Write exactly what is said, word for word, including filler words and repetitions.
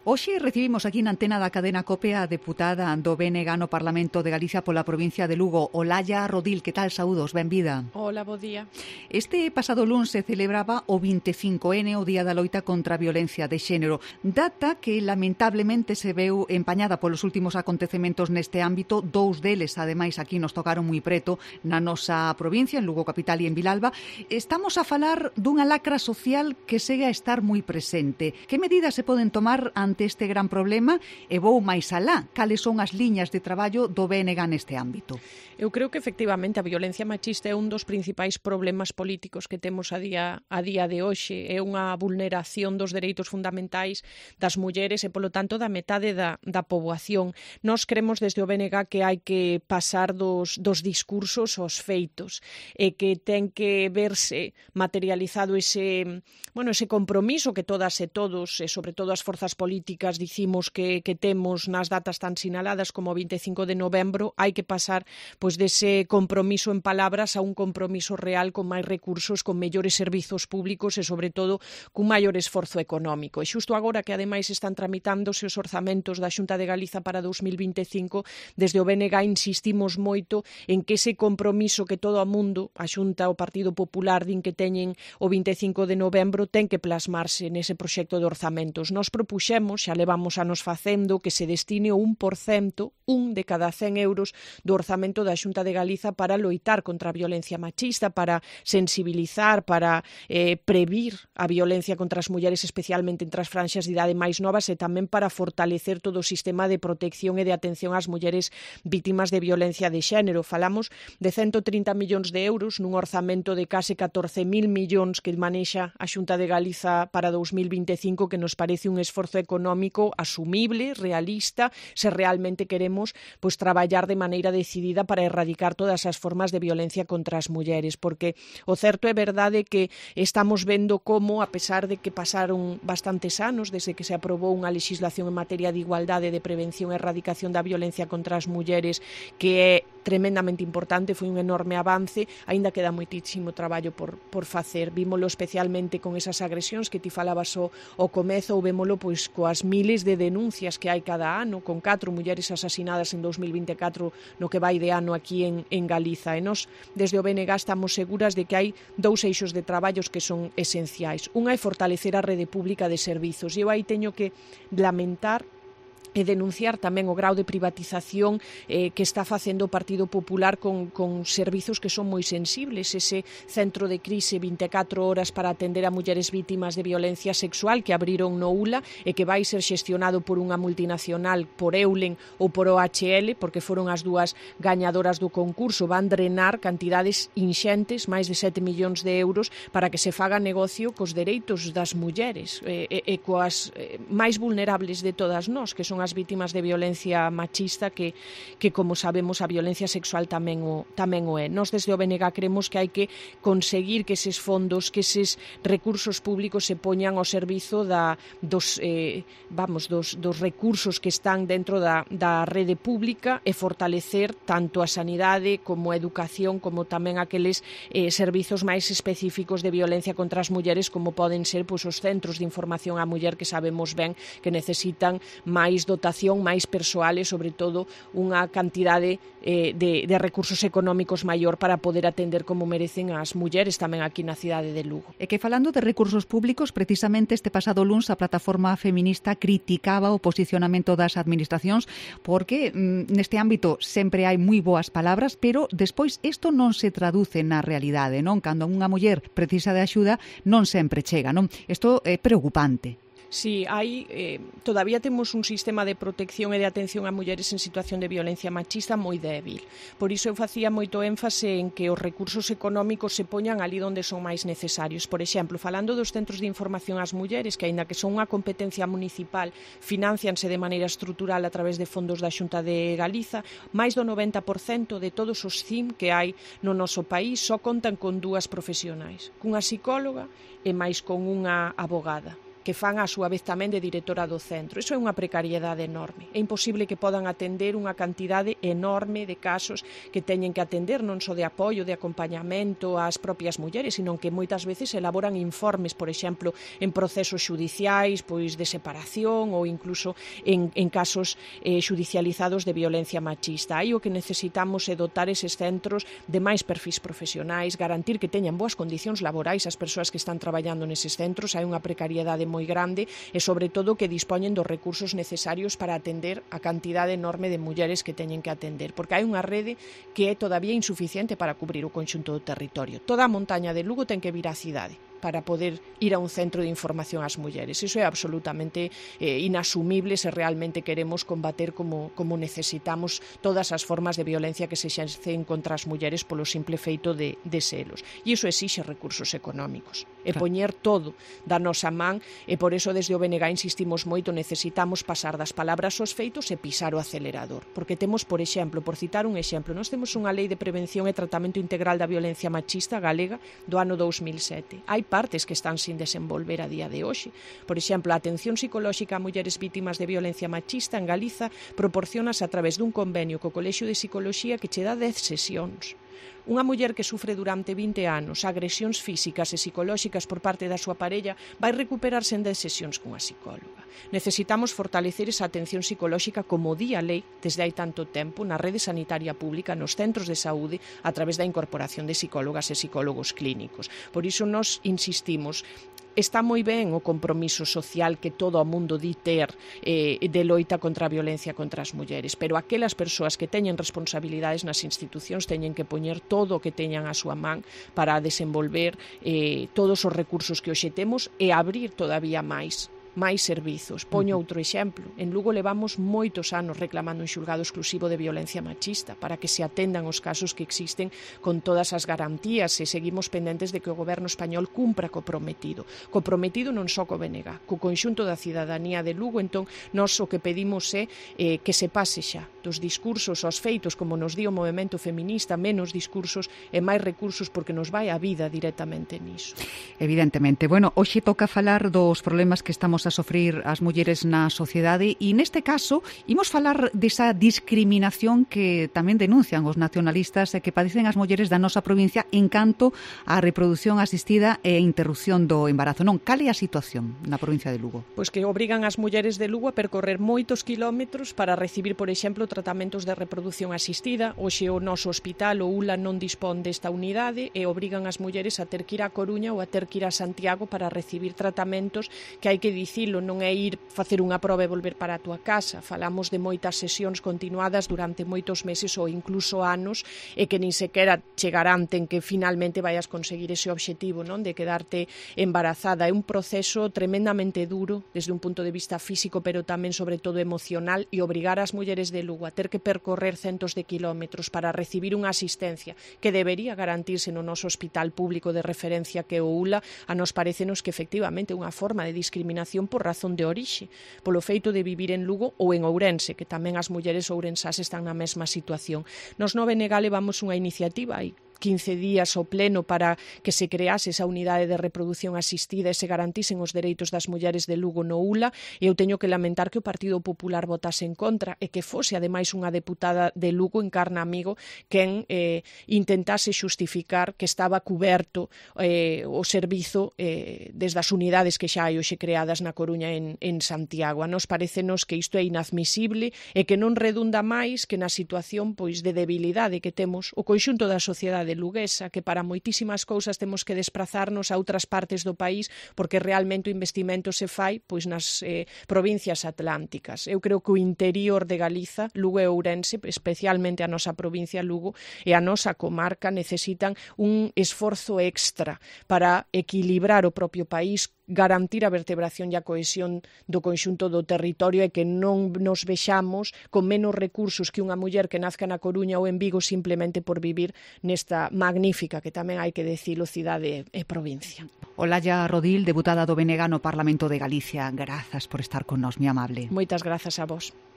Hoxe recibimos aquí na antena da cadena COPE a deputada do B N G no Parlamento de Galicia pola provincia de Lugo, Olalla Rodil. Que tal? Saúdos, benvida. Hola, bo día. Este pasado luns se celebraba o vinte e cinco ene, o Día da Loita contra a Violencia de Xénero, data que lamentablemente se veu empañada polos últimos acontecementos neste ámbito. Dous deles, ademais, aquí nos tocaron moi preto na nosa provincia, en Lugo capital e en Vilalba. Estamos a falar dunha lacra social que segue a estar moi presente. Que medidas se poden tomar ante este gran problema e vou máis alá? Cales son as liñas de traballo do B N G neste ámbito? Eu creo que efectivamente a violencia machista é un dos principais problemas políticos que temos a día a día de hoxe. É unha vulneración dos dereitos fundamentais das mulleres e, polo tanto, da metade da, da poboación. Nós cremos desde o B N G que hai que pasar dos, dos discursos aos feitos e que ten que verse materializado ese, bueno, ese compromiso que todas e todos, e sobre todo as forzas políticas, dicimos que, que temos nas datas tan sinaladas como o vinte e cinco de novembro. Hai que pasar pois dese compromiso en palabras a un compromiso real con máis recursos, con mellores servizos públicos e, sobre todo, cun maior esforzo económico. E xusto agora que, ademais, están tramitándose os orzamentos da Xunta de Galiza para dous mil vinte e cinco, desde o B N G insistimos moito en que ese compromiso que todo o mundo, a Xunta, o Partido Popular, din que teñen o vinte e cinco de novembro, ten que plasmarse nese proxecto de orzamentos. Nos propuxemos, xa levamos anos facendo, que se destine o un por cento, un de cada cen euros do orzamento da Xunta de Galiza para loitar contra a violencia machista, para sensibilizar, para eh, previr a violencia contra as mulleres, especialmente entre as franxas de idade máis novas, e tamén para fortalecer todo o sistema de protección e de atención ás mulleres vítimas de violencia de xénero. Falamos de ciento trinta millóns de euros nun orzamento de case catorce mil millóns que manexa a Xunta de Galiza para dous mil vinte e cinco, que nos parece un esforzo económico asumible, realista, se realmente queremos pois traballar de maneira decidida para erradicar todas as formas de violencia contra as mulleres, porque o certo é verdade que estamos vendo como, a pesar de que pasaron bastantes anos desde que se aprobou unha legislación en materia de igualdade, de prevención e erradicación da violencia contra as mulleres, que é tremendamente importante, foi un enorme avance, aínda queda moitísimo traballo por, por facer. Vímolo especialmente con esas agresións que ti falabas o, o comezo, ou vémolo pois coas miles de denuncias que hai cada ano, con catro mulleres asasinadas en dous mil vinte e catro no que vai de ano aquí en, en Galiza. E nós, desde o B N G, estamos seguras de que hai dous eixos de traballos que son esenciais. Unha é fortalecer a rede pública de servizos. E eu aí teño que lamentar e denunciar tamén o grau de privatización eh, que está facendo o Partido Popular con, con servizos que son moi sensibles. Ese centro de crise vinte e catro horas para atender a mulleres vítimas de violencia sexual que abriron no U L A e que vai ser xestionado por unha multinacional, por Eulen ou por O H L, porque foron as dúas gañadoras do concurso. Van drenar cantidades inxentes, máis de sete millóns de euros, para que se faga negocio cos dereitos das mulleres e, e, e coas eh, máis vulnerables de todas nós, que son as vítimas de violencia machista, que, que como sabemos, a violencia sexual tamén o, tamén o é. Nós desde o B N G creemos que hai que conseguir que eses fondos, que eses recursos públicos se poñan ao servizo da, dos, eh, vamos, dos, dos recursos que están dentro da, da rede pública e fortalecer tanto a sanidade como a educación, como tamén aqueles eh, servizos máis específicos de violencia contra as mulleres, como poden ser pois, os centros de información á muller, que sabemos ben que necesitan máis dotación, máis persoal e, sobre todo, unha cantidade eh, de, de recursos económicos maior para poder atender como merecen as mulleres tamén aquí na cidade de Lugo. E que, falando de recursos públicos, precisamente este pasado luns a plataforma feminista criticaba o posicionamento das administracións porque mm, neste ámbito sempre hai moi boas palabras, pero despois isto non se traduce na realidade, non? Cando unha muller precisa de axuda non sempre chega, non? Isto é preocupante. Sí, hai, eh, todavía temos un sistema de protección e de atención a mulleres en situación de violencia machista moi débil. Por iso eu facía moito énfase en que os recursos económicos se poñan ali onde son máis necesarios. Por exemplo, falando dos centros de información ás mulleres, que aínda que son unha competencia municipal, financianse de maneira estrutural a través de fondos da Xunta de Galiza, máis do noventa por cento de todos os C I M que hai no noso país só contan con dúas profesionais, cunha psicóloga e máis con unha abogada. que fan a súa vez tamén de directora do centro. Iso é unha precariedade enorme. É imposible que podan atender unha cantidade enorme de casos que teñen que atender, non só de apoio, de acompañamento ás propias mulleres, sino que moitas veces elaboran informes, por exemplo, en procesos xudiciais, pois de separación ou incluso en, en casos eh, xudicializados de violencia machista. Aí o que necesitamos é dotar eses centros de máis perfis profesionais, garantir que teñan boas condicións laborais as persoas que están traballando neses centros. Hai unha precariedade moi grande e, sobre todo, que dispoñen dos recursos necesarios para atender a cantidade enorme de mulleres que teñen que atender, porque hai unha rede que é todavía insuficiente para cubrir o conxunto do territorio. Toda a montaña de Lugo ten que vir á cidade para poder ir a un centro de información ás mulleres. Iso é absolutamente eh, inasumible se realmente queremos combater como, como necesitamos todas as formas de violencia que se exercen contra as mulleres polo simple feito de, de selos. E iso exixe recursos económicos. E poñer todo da nosa man, e por eso desde o B N G insistimos moito, necesitamos pasar das palabras aos feitos e pisar o acelerador. Porque temos, por exemplo, por citar un exemplo, nós temos unha lei de prevención e tratamento integral da violencia machista galega do ano dous mil sete. Hai partes que están sin desenvolver a día de hoxe. Por exemplo, a atención psicolóxica a mulleres vítimas de violencia machista en Galiza proporcionase a través dun convenio co Colexio de Psicoloxía que che dá dez sesións. Unha muller que sufre durante vinte anos agresións físicas e psicolóxicas por parte da súa parella vai recuperarse en dez sesións cunha psicóloga. Necesitamos fortalecer esa atención psicolóxica como di a lei desde hai tanto tempo na rede sanitaria pública, nos centros de saúde, a través da incorporación de psicólogas e psicólogos clínicos. Por iso nos insistimos. Está moi ben o compromiso social que todo o mundo di ter eh, de loita contra a violencia contra as mulleres, pero aquelas persoas que teñen responsabilidades nas institucións teñen que poñer todo o que teñan a súa man para desenvolver eh, todos os recursos que hoxe temos e abrir todavía máis máis servizos. Poño outro exemplo. En Lugo levamos moitos anos reclamando un xulgado exclusivo de violencia machista para que se atendan os casos que existen con todas as garantías e seguimos pendentes de que o goberno español cumpra co prometido. Co prometido non só co B N G, co conxunto da cidadanía de Lugo. Entón, nós o que pedimos é eh, que se pase xa dos discursos aos feitos, como nos di o movemento feminista, menos discursos e máis recursos, porque nos vai a vida directamente niso. Evidentemente. Bueno, hoxe toca falar dos problemas que estamos a sofrir as mulleres na sociedade e neste caso imos falar desa discriminación que tamén denuncian os nacionalistas e que padecen as mulleres da nosa provincia en canto á reproducción asistida e interrupción do embarazo. Non, cal é a situación na provincia de Lugo? Pois que obrigan as mulleres de Lugo a percorrer moitos quilómetros para recibir, por exemplo, tratamentos de reproducción asistida. Hoxe o noso hospital, o U L A, non dispón desta unidade e obrigan as mulleres a ter que ir a Coruña ou a ter que ir a Santiago para recibir tratamentos que hai que dicir dicilo, non é ir facer unha proba e volver para a túa casa. Falamos de moitas sesións continuadas durante moitos meses ou incluso anos e que nin sequera chegarán ten que finalmente vayas conseguir ese obxectivo, non, de quedarte embarazada. É un proceso tremendamente duro desde un punto de vista físico, pero tamén sobre todo emocional, e obrigar ás mulleres de Lugo a ter que percorrer centos de kilómetros para recibir unha asistencia que debería garantirse no noso hospital público de referencia que é o U L A, a nos parecenos que efectivamente é unha forma de discriminación por razón de orixe, polo feito de vivir en Lugo ou en Ourense, que tamén as mulleres ourensás están na mesma situación. Nos no B N G levamos unha iniciativa aí quince días ao pleno para que se crease esa unidade de reproducción asistida e se garantisen os dereitos das mulleres de Lugo no U L A, e eu teño que lamentar que o Partido Popular votase en contra e que fose ademais unha deputada de Lugo, Encarna Amigo, quen eh, intentase xustificar que estaba cuberto eh, o servizo eh, desde as unidades que xa hai hoxe creadas na Coruña en, en Santiago. A nos parecenos que isto é inadmisible e que non redunda máis que na situación pois de debilidade que temos o conxunto da sociedade luguesa, que para moitísimas cousas temos que desplazarnos a outras partes do país porque realmente o investimento se fai pois nas eh, provincias atlánticas. Eu creo que o interior de Galiza, Lugo e Ourense, especialmente a nosa provincia Lugo e a nosa comarca, necesitan un esforzo extra para equilibrar o propio país, garantir a vertebración e a cohesión do conxunto do territorio e que non nos vexamos con menos recursos que unha muller que nazca na Coruña ou en Vigo simplemente por vivir nesta magnífica, que tamén hai que decilo, cidade e provincia. Olalla Rodil, deputada do B N G no Parlamento de Galicia. Grazas por estar con nós, mi amable. Moitas grazas a vos.